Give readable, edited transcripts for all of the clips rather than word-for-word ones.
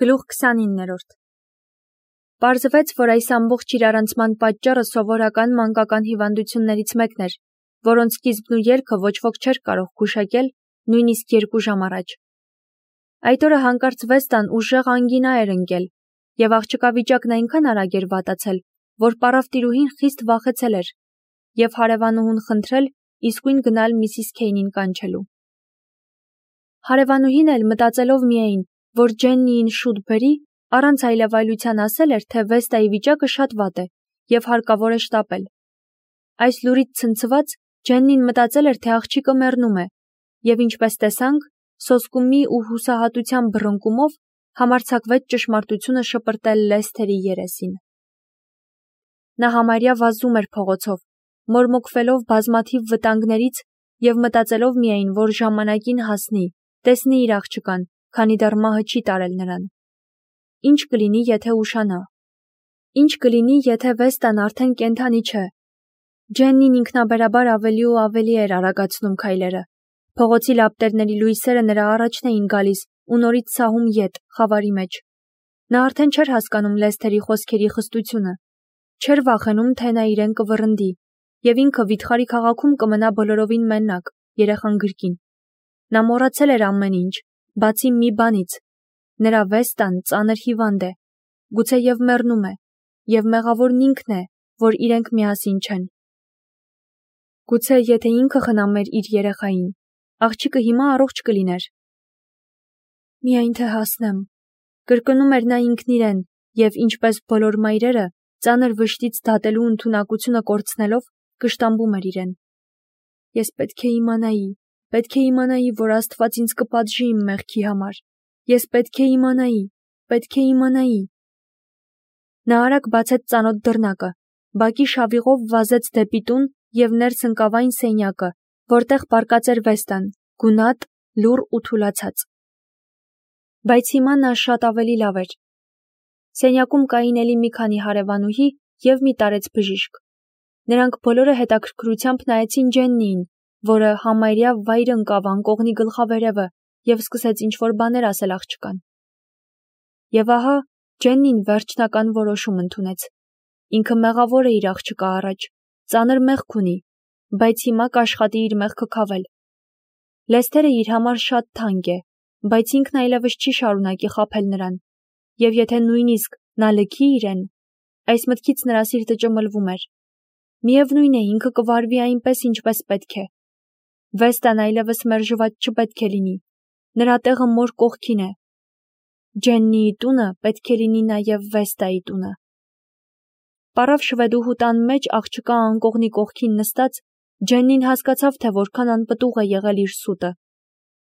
Գլուխ 29-րդ Պարզվեց, որ այս ամբողջ իրարանցման պատճառը սովորական մանկական հիվանդություններից մեկն էր, որոնց սկիզբն ու ելքը ոչ ոք չէր կարող գուշակել նույնիսկ 2 ժամ առաջ։ Այդ օրը հանկարծ Վեստան ուժեղ անգինա էր ընկել, և աղջկա վիճակն այնքան արագ էր վատացել, որ պարավտիրուհին խիստ վախեցել էր և հարևանուհուն խնդրել իսկույն գնալ Միսիս Քեյնին կանչելու։ Հարևանուհին էլ մտածելով միայն, որ Ջեննիին շուտ բերի, առանց այլևայլության ասել էր, թե Վեստայի վիճակը շատ վատ է և հարկավոր է շտապել։ Այս լուրից ցնցված Ջեննին մտածել էր, թե աղջիկը մեռնում է, և ինչպես տեսանք, սոսկումի ու հուսահատության բռնկումով համարձակվեց ճշմարտությունը շպրտել Լեսթերի երեսին։ Նա համարյա վազում էր փողոցով, մորմոքվելով բազմաթիվ վտանգներից և մտածելով միայն, որ ժամանակին հասնի, տեսնի իր աղջկան, քանի դեռ մահը չի տարել նրան։ Ինչ կլինի, եթե ուշանա։ Ինչ կլինի, եթե Վեստան արդեն կենդանի չէ։ Ջեննին ինքնաբերաբար ավելի ու ավելի էր արագացնում քայլերը։ Փողոցի լապտերների լույսերը նրա առաջն էին գալիս ու նորից սահում ետ, խավարի մեջ։ Նա արդեն չէր հասկանում Լեսթերի խոսքերի խստությունը, չէր վախենում, թե նա իրեն կվռնդի, և ինքը վիթխարի քաղաքում կմնա բոլորովին մենակ, երեխան գրկին։ Նա մոռացել էր ամեն ինչ, բացի մի բանից. նրա Վեստան ծանր հիվանդ է, գուցեև մեռնում է, և մեղավորն ինքն է, որ իրենք միասին չեն։ Գուցե եթե ինքը խնամեր իր երեխային, աղջիկը հիմա առողջ կլիներ։ Միայն թե հասնեմ, կրկնում էր նա ինքն իրեն, և ինչպես բոլոր մայրերը, ծանր վշտից դատելու ընդունակությունը կորցնելով, կշտամբում էր իրեն։ Ես պետք է իմանայի, որ Աստված ինձ կպատժի իմ մեղքի համար։ Ես պետք է իմանայի։ Նա արագ բացեց ծանոթ դռնակը, բակի շավիղով վազեց դեպի տուն և ներս ընկավ այն սենյակը, որտեղ պառկած էր Վեստան, գունատ, լուռ ու թուլացած։ Բայց հիմա նա շատ ավելի լավ էր։ Սենյակում կային էլի մի քանի հարևանուհի և մի տարեց բժիշկ։ Նրանք բոլորը հետաքրքրությամբ նայեցին Ջեննիին, որը համարյա վայր ընկավ անկողնի գլխավերևը և սկսեց ինչ-որ բաներ ասել աղջկան։ Եվ ահա Ջեննին վերջնական որոշում ընդունեց։ Ինքը մեղավոր է իր աղջկա առաջ, ծանր մեղք ունի, բայց հիմա կաշխատի իր մեղքը քավել։ Լեսթերը իր համար շատ թանկ է, բայց ինքն այլևս չի շարունակի խաբել նրան, և եթե նույնիսկ նա լքի իրեն, այս մտքից նրա սիրտը ճմլվում էր։ Միևնույն է, ինքը կվարվի այնպես, ինչպես պետք է։ Վեստան այլևս մերժված չպետք է լինի, նրա տեղը մոր կողքին է։ Ջեննիի տունը պետք է լինի նաև Վեստայի տունը։ Պարավ շվեդուհու տան մեջ աղջկա անկողնի կողքին նստած, Ջեննին հասկացավ, թե որքան անպտուղ է եղել իր սուտը։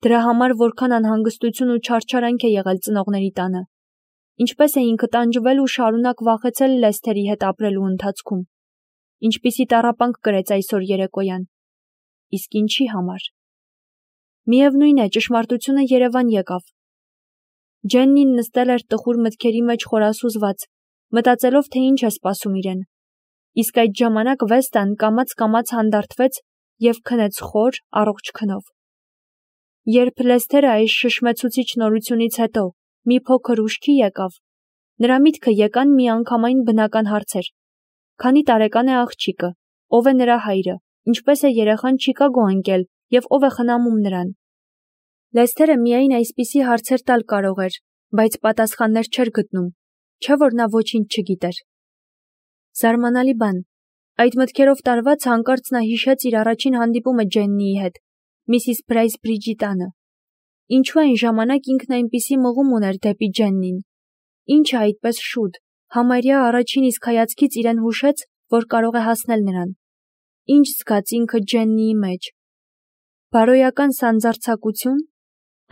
Դրա համար որքան անհանգստություն ու չարչարանք է եղել ծնողների տանը։ Ինչպես է ինքը տանջվել ու շարունակ վախեցել Լեսթերի հետ ապրելու ընթացքում։ Ինչպիսի տառապանք կրեց այսօր երեկոյան։ Իսկ ինչի համար։ Միևնույն է, ճշմարտությունը երևան եկավ։ Ջեննին նստել էր տխուր մտքերի մեջ խորասուզված, մտածելով, թե ինչ է սպասում իրեն։ Իսկ այդ ժամանակ Վեստան կամաց հանդարտվեց և քնեց խոր, առողջ քնով։ Երբ Լեսթերը այս շշմեցուցիչ նորությունից հետո մի փոքր ուշքի եկավ, նրա միտքը եկան միանգամայն բնական հարցեր. քանի տարեկան է աղջիկը, ով է նրա հայրը, ինչպես է երեխան Չիկագո ընկել և ով է խնամում նրան։ Լեսթերը միայն այսպիսի հարցեր տալ կարող էր, բայց պատասխաններ չէր գտնում, չէ՞ որ նա ոչինչ չգիտեր։ Զարմանալի բան, այդ մտքերով տարված հանկարծ նա հիշեց իր առաջին հանդիպումը Ջեննիի հետ, Միսիս Բրայսբրիջի տանը։ Ինչու այն ժամանակ ինքն այնպիսի մղում ուներ դեպի Ջեննին։ Ինչը այդպես շուտ, համարյա առաջին իսկ հայացքից իրեն հուշեց, որ կարող է հասնել նրան։ Ինչ զգաց ինքը Ջեննիի մեջ։ Բարոյական սանձարձակություն,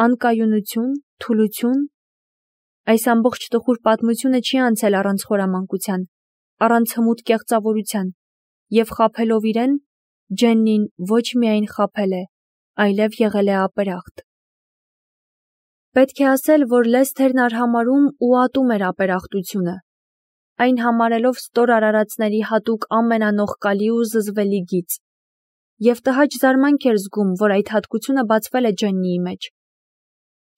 անկայունություն, թուլություն։ Այս ամբողջ տխուր պատմությունը չի անցել առանց խորամանկության, առանց հմուտ կեղծավորության, և խաբելով իրեն, Ջեննին ոչ միայն խաբել է, այլև եղել է ապերախտ։ Պետք է ասել, որ Լեսթերն արհամարհում ու ատում էր ապերախտությունը, այն համարելով ստոր արարածների հատուկ ամենանողկալի ու զզվելի գիծ։ Եվ տհաճ զարմանք էր զգում, որ այդ հատկությունը բացվել է Ջեննիի մեջ։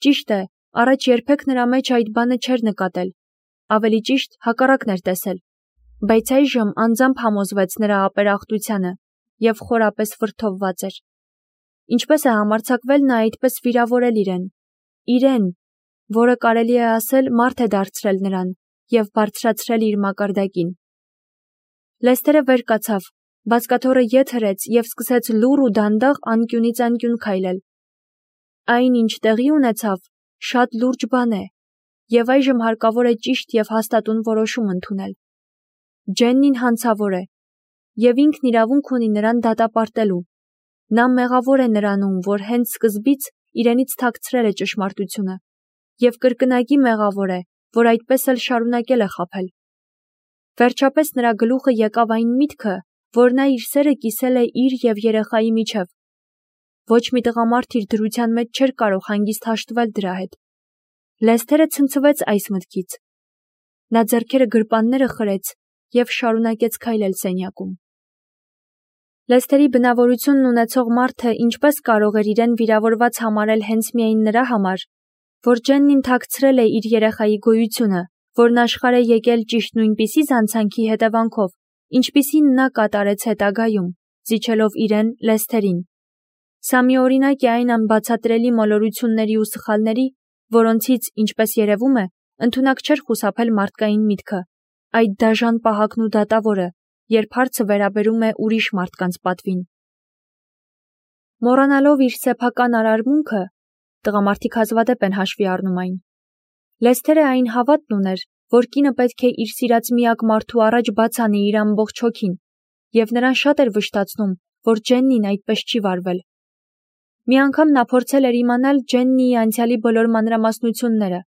Ճիշտ է, Առաջ երբեք նրա մեջ այդ բանը չէր նկատել, ավելի ճիշտ հակառակն էր տեսել, բայց այժմ անձամբ համոզվեց նրա ապերախտությանը և խորապես վրդովված էր։ Ինչպես է համարձակվել նա այդպես վիրավորել իրեն, որը կարելի է ասել մարդ է դարձրել նրան և բարձրացրել իր մակարդակին։ Լեսթերը վեր կացավ, բազկաթոռը ետ հրեց և սկսեց լուռ ու դանդաղ անկյունից անկյուն քայլել։ Այն, ինչ տեղի ունեցավ, շատ լուրջ բան է, և այժմ հարկավոր է ճիշտ և հաստատուն որոշում ընդունել։ Ջեննին հանցավոր է, և ինքն իրավունք ունի նրան դատապարտելու։ Նա մեղավոր է նրանում, որ հենց սկզբից իրենից թաքցրել է ճշմարտությունը, և կրկնակի մեղավոր է, որ այդպես էլ շարունակել է խաբել։ Վերջապես նրա գլուխը եկավ այն միտքը, որ նա իր սերը կիսել է իր և երեխայի միջև։ Ոչ մի տղամարդ իր դրության մեջ չէր կարող հանգիստ հաշտվել դրա հետ։ Լեսթերը ցնցվեց այս մտքից։ Նա ձեռքերը գրպանները խրեց և շարունակեց քայլել սենյակում։ Լեսթերի բնավորությունն ունեցող մարդը ինչպես կարող էր իրեն վիրավորված համարել հենց միայն նրա համար, որ Ջեննին թաքցրել է իր երեխայի գոյությունը, որն աշխարհ է եկել ճիշտ նույնպիսի զանցանքի հետևանքով, ինչպիսին նա կատարեց հետագայում, զիջելով իրեն Լեսթերին։ Սա միօրինակ է այն անբացատրելի մոլորությունների ու սխալների, որոնցից, ինչպես երևում է, ընդունակ չէր խուսափել մարդկային միտքը, այդ դաժան պահակն ու դատավորը, երբ հարցը վերաբերում է ուրիշ մարդկանց պատվին։ Մոռանալով իր սեփական արարմունքը, տղամարդիկ հազվադեպ են հաշվի առնում այն։ Լեսթերը այն հավատն ուներ, որ կինը պետք է իր սիրած միակ մարդու առաջ բաց անի իր ամբողջ հոգին, և նրան շատ էր վշտացնում, որ Ջեննին այդպես չի վարվել։ Մի անգամ նա փորձել էր իմանալ Ջեննիի անցյալի բոլոր մանրամասնությունները։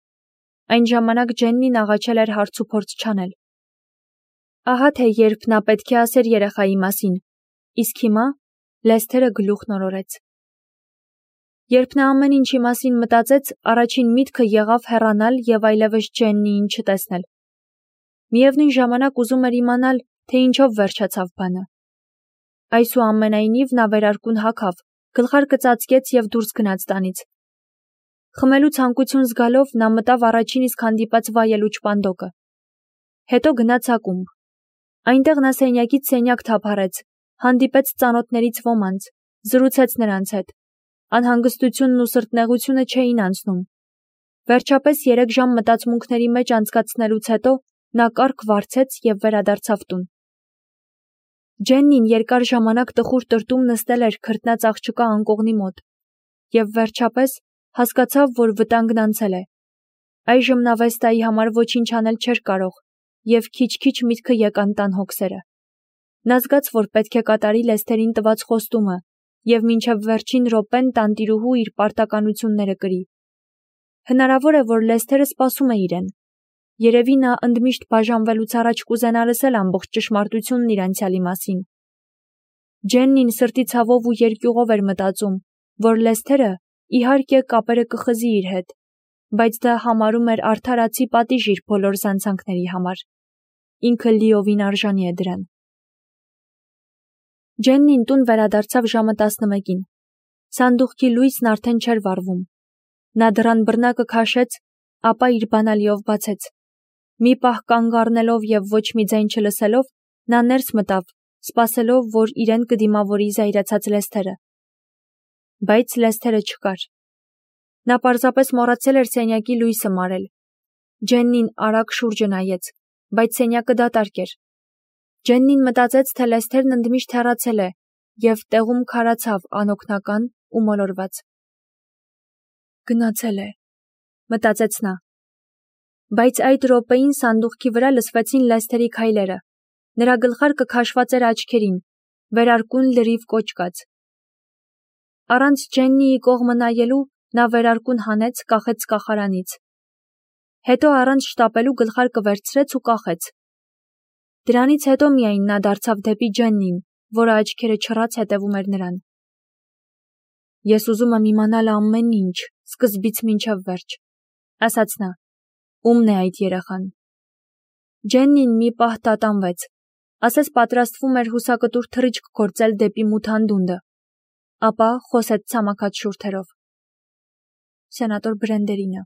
Այն ժամանակ Ջեննին աղաչել էր հարցուփորձ չանել։ Ահա թե երբ նա պետք է ասեր երեխայի մասին, իսկ հիմա Լեսթերը գլուխ նորորեց։ Երբ նա ամեն ինչի մասին մտածեց, առաջին միտքը եղավ հեռանալ և այլևս Ջեննիին չտեսնել։ Միևնույն ժամանակ ուզում էր իմանալ, թե ինչով վերջացավ բանը։ Այսուամենայնիվ նա վերարկուն հագավ, գլխարկը ծածկեց և դուրս գնաց տանից։ Խմելու ցանկություն զգալով նա մտավ առաջին իսկ հանդիպած վայելուչ պանդոկը։ Հետո գնաց ակումբ։ Այնտեղ նա սենյակից սենյակ թափառեց, հանդիպեց ծանոթներից ոմանց, զրուցեց նրանց հետ։ Անհանգստությունն ու սրտնեղությունը չէին անցնում։ Վերջապես 3 ժամ մտածմունքների մեջ անցկացնելուց հետո նա կառք վարձեց և վերադարձավ տուն։ Ջեննին երկար ժամանակ տխուր տրտում նստել էր քրտնած աղջկա անկողնի մոտ, և վերջապես հասկացավ, որ վտանգն անցել է։ Այժմ նա Վեստայի համար ոչինչ անել չէր կարող, և քիչ-քիչ միտքը եկան տան հոգսերը։ Նա զգաց, որ պետք է կատարի Լեսթերին տված խոստումը և մինչև վերջին րոպեն տանտիրուհու իր պարտականությունները կրի։ Հնարավոր է, որ Լեսթերը սպասում է իրեն։ Երևի նա ընդմիշտ բաժանվելուց առաջ կուզենա լսել ամբողջ ճշմարտությունն իր անցյալի մասին։ Ջեննին սրտի ցավով ու երկյուղով էր մտածում, որ Լեսթերը, իհարկե, կապերը կխզի իր հետ, բայց դա համարում էր արդարացի պատիժ իր բոլոր զանցանքների համար։ Ինքը լիովին արժանի է դրան։ Ջեննին տուն վերադարձավ ժամը 11-ին։ Սանդուղքի լույսն արդեն չէր վառվում։ Նա դռան բռնակը քաշեց, ապա իր բանալիով բացեց։ Մի պահ կանգ առնելով և ոչ մի ձայն չլսելով, նա ներս մտավ, սպասելով, որ իրեն կդիմավորի զայրացած Լեսթերը։ Բայց Լեսթերը չկար։ Նա պարզապես մոռացել էր սենյակի լույսը մարել։ Ջեննին արագ շուրջը նայեց, բայց սենյակը դատարկ էր։ Ջեննին մտածեց, թե Լեսթերն ընդմիշտ հեռացել է, և տեղում քարացավ անօգնական ու մոլորված։ Գնացել է, մտածեց նա։ Բայց այդ րոպեին սանդուղքի վրա լսվեցին Լեսթերի քայլերը։ Նրա գլխարկը քաշված էր աչքերին, վերարկուն լրիվ կոճկած։ Առանց Ջեննիի կողմը նայելու նա վերարկուն հանեց, կախեց կախարանից։ Հետո առանց շտապելու գլխարկը վերցրեց ու կախեց։ Դրանից հետո միայն նա դարձավ դեպի Ջեննին, որը աչքերը չռած հետևում էր նրան։ Ես ուզում եմ իմանալ ամեն ինչ, սկզբից մինչև վերջ, ասաց նա։ Ո՞ւմն է այդ երեխան։ Ջեննին մի պահ տատանվեց, ասես պատրաստվում էր հուսակտուր թռիչք գործել դեպի մութ անդունդը, ապա խոսեց ցամաքած շուրթերով։ Սենատոր Բրենդերինը։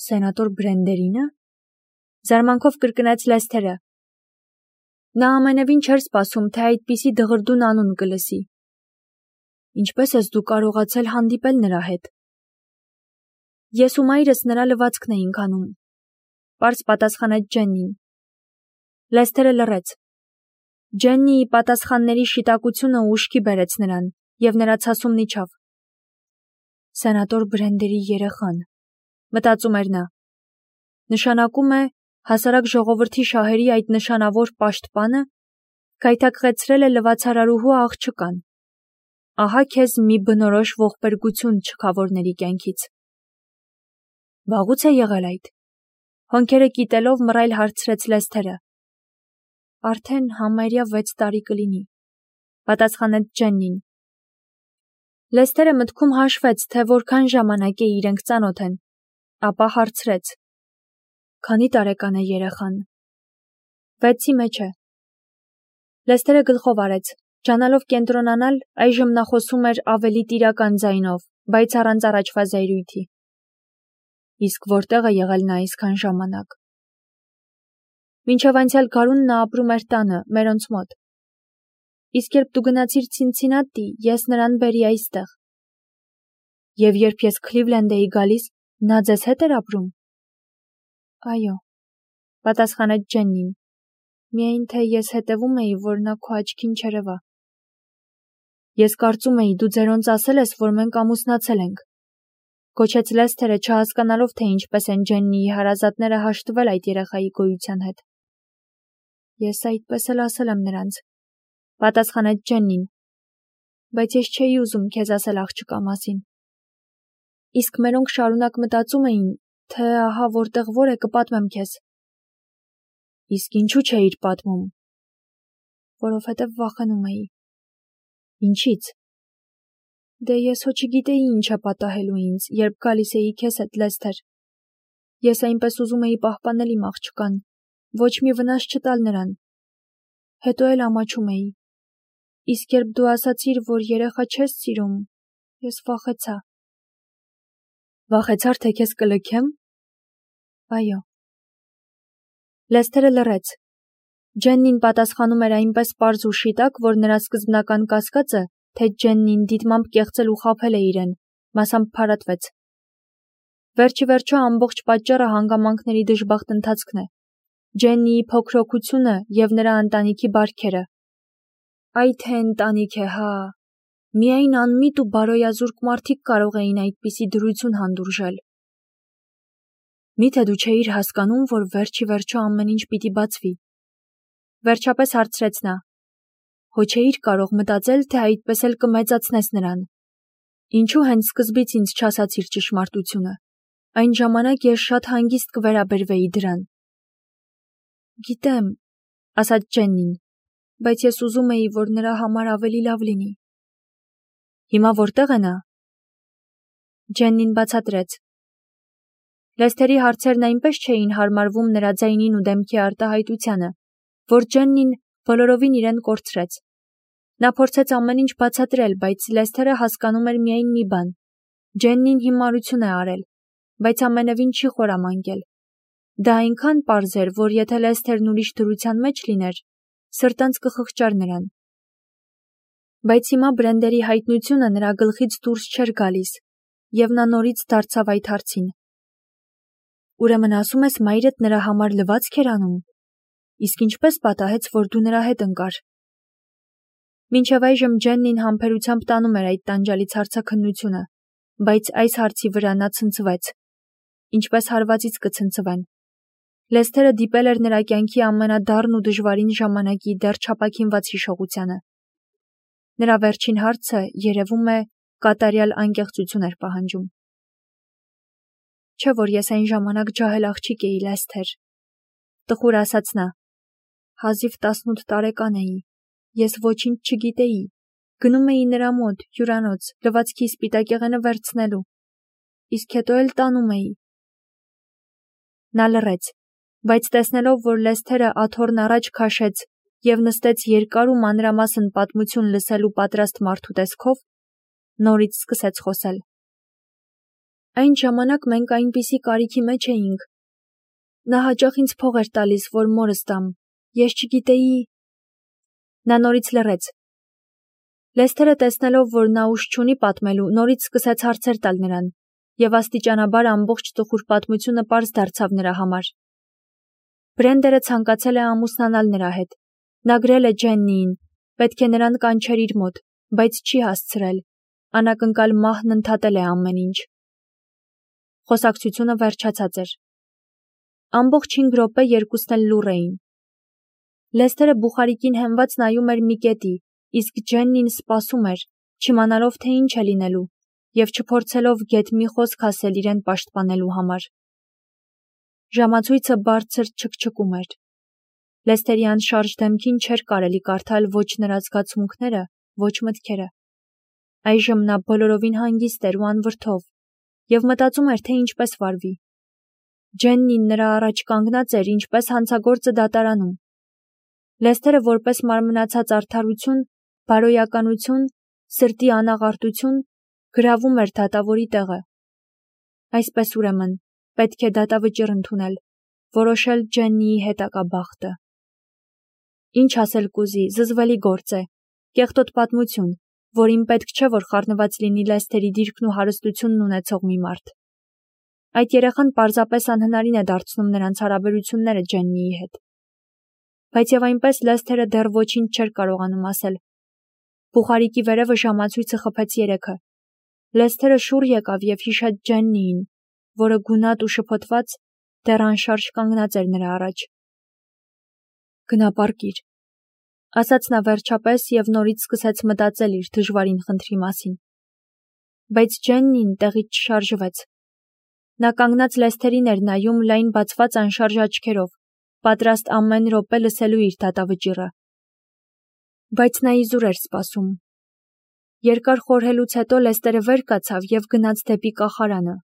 Սենատոր Բրենդերինը։ Զարմանքով կրկնեց Լեսթերը։ Նա ամենևին չէր սպասում, թե այդպիսի դղրդուն անուն կլսի։ Ինչպես ես դու կարողացել հանդիպել նրա հետ։ Ես ու մայրս նրա լվացքն էինք անում, պարզ պատասխանեց Ջեննին։ Լեսթերը լռեց։ Ջեննիի պատասխանների շիտակությունը ուշքի բերեց նրան, և նրա ցասումն իջավ։ Սենատոր Բրենդերի երեխան, մտածում էր նա։ Նշանակում է, հասարակ ժողովրդի շահերի այդ նշանավոր պաշտպանը գայթակղեցրել է լվացարարուհու աղջկան։ Ահա քեզ մի բնորոշ ողբերգություն չքավորների կյանքից։ Վաղուց է եղել այդ։ Հոնքերը կիտելով մռայլ հարցրեց Լեսթերը։ Արդեն համարյա 6 տարի կլինի, պատասխանեց Ջեննին։ Լեսթերը մտքում հաշվեց, թե որքան ժամանակ է իրենք ծանոթ են, ապա հարցրեց. Քանի տարեկան է երեխան։ 6-ի մեջ է։ Լեսթերը գլխով արեց, ջանալով կենտրոնանալ, այժմ նա խոսում էր ավելի տիրական ձայնով, բայց առանց առաջվա զայրույթի։ Իսկ որտեղ է եղել նա այսքան ժամանակ։ Մինչև անցյալ գարուն նա ապրում էր տանը, մերոնց մոտ։ Իսկ երբ դու գնացիր Ցինցինատի, ես նրան բերի այստեղ։ Եվ երբ ես Քլիվլենդ էի գալիս, նա ձեզ հետ էր ապրում։ Այո, պատասխանեց Ջեննին։ Միայն թե ես հետևում էի, որ նա քո աչքին չերևա։ Ես կարծում էի, դու ձերոնց ասել ես, որ մենք ամուսնացել ենք։ Կոչեց Լեսթերը, չհասկանալով, թե ինչպես են Ջեննիի հարազատները հաշտվել այդ երեխայի գոյության հետ։ Ես այդպես էլ ասել եմ նրանց, պատասխանեց Ջեննին, բայց ես չէի ուզում քեզ ասել աղջկա մասին։ Իսկ մերոնք շարունակ մտածում էին, թե ահա որտեղ որ է կպատմեմ քեզ։ Իսկ ինչու չէիր պատմում։ Որովհետև վախենում էի։ Ինչից։ Դե ես հո չգիտեի ինչ է պատահելու ինձ, երբ գալիս էի քեզ հետ, Լեսթեր։ Ես այնպես ուզում էի պահպանել իմ աղջկան, ոչ մի վնաս չտալ նրան։ Հետո էլ ամաչում էի։ Իսկ երբ դու ասացիր, որ երեխա չես սիրում, ես վախեցա։ Վախեցար, թե քեզ կլքեմ։ Այո։ Լեսթերը լռեց։ Ջեննին պատասխանում էր այնպես պարզ ու շիտակ, որ նրա սկզբնական կասկածը, թե Ջեննին դիտմամբ կեղծել ու խաբել է իրեն, մասամբ փարատվեց։ Վերջի վերջո ամբողջ պատճառը հանգամանքների դժբախտ ընթացքն է։ Ջեննիի փոքրոքությունը և նրա ընտանիքի բարքերը։ Այ թե ընտանիք է, հա։ Միայն անմիտ ու բարոյազուրկ մարդիկ կարող էին այդպիսի դրություն հանդուրժել։ Միթե դու չէիր հասկանում, որ վերջի վերջո ամեն ինչ պիտի բացվի։ Վերջապես հարցրեց նա։ Հո չէիր կարող մտածել, թե այդպես էլ կմեծացնես նրան։ Ինչու հենց սկզբից ինձ չասացիր ճշմարտությունը։ Այն ժամանակ ես շատ հանգիստ կվերաբերվեի դրան։ Գիտեմ, ասաց Ջեննին, բայց ես ուզում էի, որ նրա համար ավելի լավ լինի։ Հիմա որտեղ է նա։ Ջեննին բացատրեց։ Լեսթերի հարցերն այնպես չէին հարմարվում նրա ձայնին ու դեմքի արտահայտությանը, որ Ջեննին բոլորովին իրեն կորցրեց։ Նա փորձեց ամեն ինչ բացատրել, բայց Լեսթերը հասկանում էր միայն մի բան. Ջեննին հիմարություն է արել, բայց ամենևին չի խորամանկել։ Դա այնքան պարզ էր, որ եթե Լեսթերն ուրիշ դրության մեջ լիներ, սրտանց կխղճար նրան։ Բայց հիմա Բրենդերի հայտնությունը նրա գլխից դուրս չէր գալիս, և նա նորից դարձավ այդ հարցին։ Ուրեմն ասում ես մայրդ նրա համար լվացք էր անում։ Իսկ ինչպես պատահեց, որ դու նրա հետ ընկար։ Մինչև այժմ Ջեննին համբերությամբ տանում էր այդ տանջալից հարցաքննությունը, բայց այս հարցի վրա նա ցնցվեց։ Ինչպես հարվածից կցնցվեն։ Լեսթերը դիպել էր նրա կյանքի ամենադառն ու դժվարին ժամանակի դեռ չապաքինված հիշողությանը։ Նրա վերջին հարցը, երևում է, կատարյալ անկեղծություն էր պահանջում։ Չէ՞ որ ես այն ժամանակ ջահել աղջիկ էի, Լեսթեր, տխուր ասաց նա։ Հազիվ 18 տարեկան էի։ Ես ոչինչ չգիտեի։ Գնում էի նրա մոտ, հյուրանոց, լվացքի սպիտակեղենը վերցնելու։ Իսկ հետո էլ տանում էի։ Նա լռեց, բայց տեսնելով, որ Լեսթերը աթոռն առաջ քաշեց և նստեց երկար ու մանրամասն պատմություն լսելու պատրաստ մարդու տեսքով, նորից սկսեց խոսել։ Այն ժամանակ մենք այնպիսի կարիքի մեջ էինք։ Նա հաճախ ինձ փող էր տալիս, որ մորս տամ։ Ես չգիտեի… Նա նորից լռեց։ Լեսթերը տեսնելով, որ նա ուժ չունի պատմելու, նորից սկսեց հարցեր տալ նրան, և աստիճանաբար ամբողջ տխուր պատմությունը պարզ դարձավ նրա համար։ Բրենդերը ցանկացել է ամուսնանալ նրա հետ։ Նա գրել է Ջեննիին, պետք է նրան կանչեր իր մոտ, բայց չի հասցրել։ Անակնկալ մահն ընդհատել է ամեն ինչ։ Խոսակցությունը վերջացած էր։ Ամբողջ 5 րոպե երկուսն էլ լուռ էին։ Լեսթերը բուխարիկին հենված նայում էր մի կետի, իսկ Ջեննին սպասում էր, չիմանալով, թե ինչ է լինելու, և չփորձելով գեթ մի խոսք ասել իրեն պաշտպանելու համար։ Ժամացույցը բարձր չքչկում էր։ Լեսթերի անշարժ դեմքին չէր կարելի կարդալ ոչ նրա զգացմունքները, ոչ մտքերը։ Այժմ նա բոլորովին հանգիստ էր ու անվրդով, և մտածում էր, թե ինչպես վարվի։ Ջեննին նրա առաջ կանգնած էր, ինչպես հանցագործը դատարանում։ Լեսթերը որպես մարմնացած արդարություն, բարոյականություն, սրտի անաղարտություն գրավում էր դատավորի տեղը։ Այսպես ուրեմն, պետք է դատավճիռ ընդունել, որոշել Ջեննիի հետագա բախտը։ Ինչ ասել կուզի, զզվելի գործ է, կեղտոտ պատմություն, որին պետք չէ, որ խառնված լինի Լեսթերի դիրքն ու հարստությունն ունեցող մի մարդ։ Այդ երեխան պարզապես անհնարին է դարձնում նրանց հարաբերությունները Ջեննիի հետ։ Բայց և այնպես Լեսթերը դեռ ոչինչ չէր կարողանում ասել։ Բուխարիկի վերևը ժամացույցը խփեց 3-ը։ Լեսթերը շուռ եկավ և հիշեց Ջեննիին, որը գունատ ու շփոթված դեռ անշարժ կանգնած էր նրա առաջ։ Գնա պառկիր, ասաց նա վերջապես և նորից սկսեց մտածել իր դժվարին խնդրի մասին։ Բայց Ջեննին տեղից չշարժվեց։ Նա կանգնած Լեսթերին էր նայում լայն բացված անշարժ աչքերով, պատրաստ ամեն րոպե լսելու իր դատավճիռը։ Բայց նա իզուր էր սպասում։ Երկար խորհելուց հետո Լեսթերը վեր կացավ և գնաց դեպի կախարանը։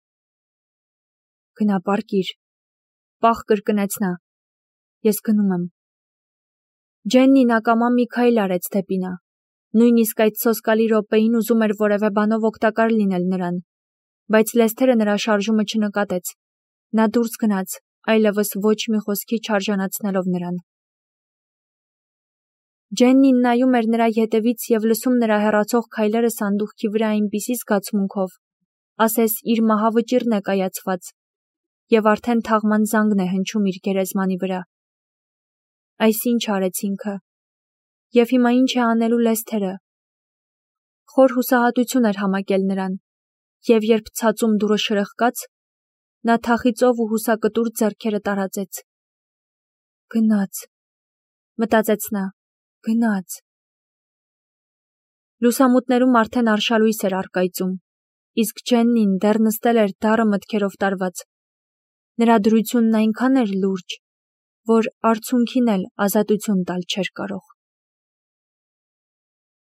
Գնա պառկիր, պաղ կրկնեց նա։ Ես գնում եմ։ Ջեննին ակամա մի քայլ արեց դեպի նա։ Նույնիսկ այդ սոսկալի րոպեին ուզում էր որևէ բանով օգտակար լինել նրան, բայց Լեսթերը նրա շարժումը չնկատեց։ Նա դուրս գնաց, այլևս ոչ մի խոսքի չարժանացնելով նրան։ Ջեննին նայում էր նրա ետևից և լսում նրա հեռացող քայլերը սանդուղքի վրա այնպիսի զգացմունքով, ասես իր մահավճիռն է կայացված, և արդեն թաղման զանգն է հնչում իր գերեզմանի վրա։ Այս ինչ արեց ինքը։ Եվ հիմա ինչ է անելու Լեսթերը։ Խոր հուսահատություն էր համակել նրան, և երբ ցածում դուռը շրխկաց, նա թախիծով ու հուսակտուր ձեռքերը տարածեց։ Գնաց, մտածեց նա, գնաց։ Լուսամուտներում արդեն արշալույս էր առկայծում, իսկ Ջեննին դեռ նստել էր դառը մտքերով տարված։ Նրա դրությունն այնքան էր լուրջ, որ արցունքին էլ ազատություն տալ չէր կարող։